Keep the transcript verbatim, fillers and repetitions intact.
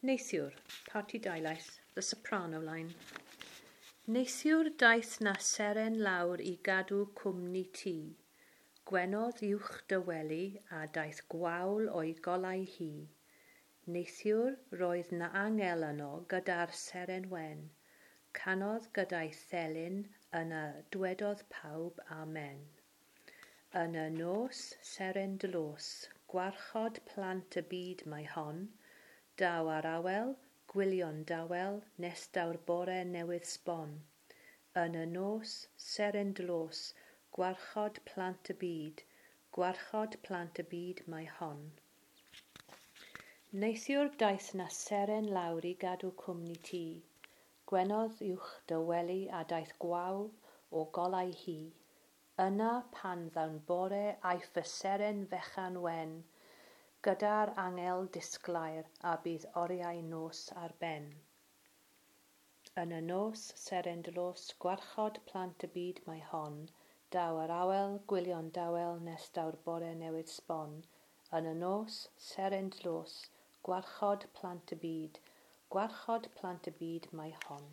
Neithiwr, Parti Dulais, the soprano line. Neithiwr daeth 'na seren lawr i gadw cwmni ti. Gwenodd uwch dy wely a daeth gwawl o'i golau hi. Neithiwr roedd 'na angel yno gyda'r seren wen. Canodd gyda'i thelyn yna dwedodd pawb amen. Yn y nos, seren dlos, gwarchod plant y byd mae hon. Daw ar awel, gwylio'n dawel, nes daw'r bore newydd sbon. Yn y nos, seren dlos, gwarchod plant y byd, gwarchod plant y byd mae hon. Neithiwr daeth 'na seren lawr i gadw cwmni ti. Gwenodd uwch dy wely a daeth gwawl o golau hi. Yna pan ddaw'n bore aiff y seren fechan wen, gyda'r angel disglair a bydd oriau nos ar ben. Yn y nos, seren dlos, gwarchod plant y byd mae hon, daw ar awel, gwylio'n dawel nes daw'r bore newydd sbon. Yn y nos, seren dlos, gwarchod plant y byd, gwarchod plant y byd mae hon.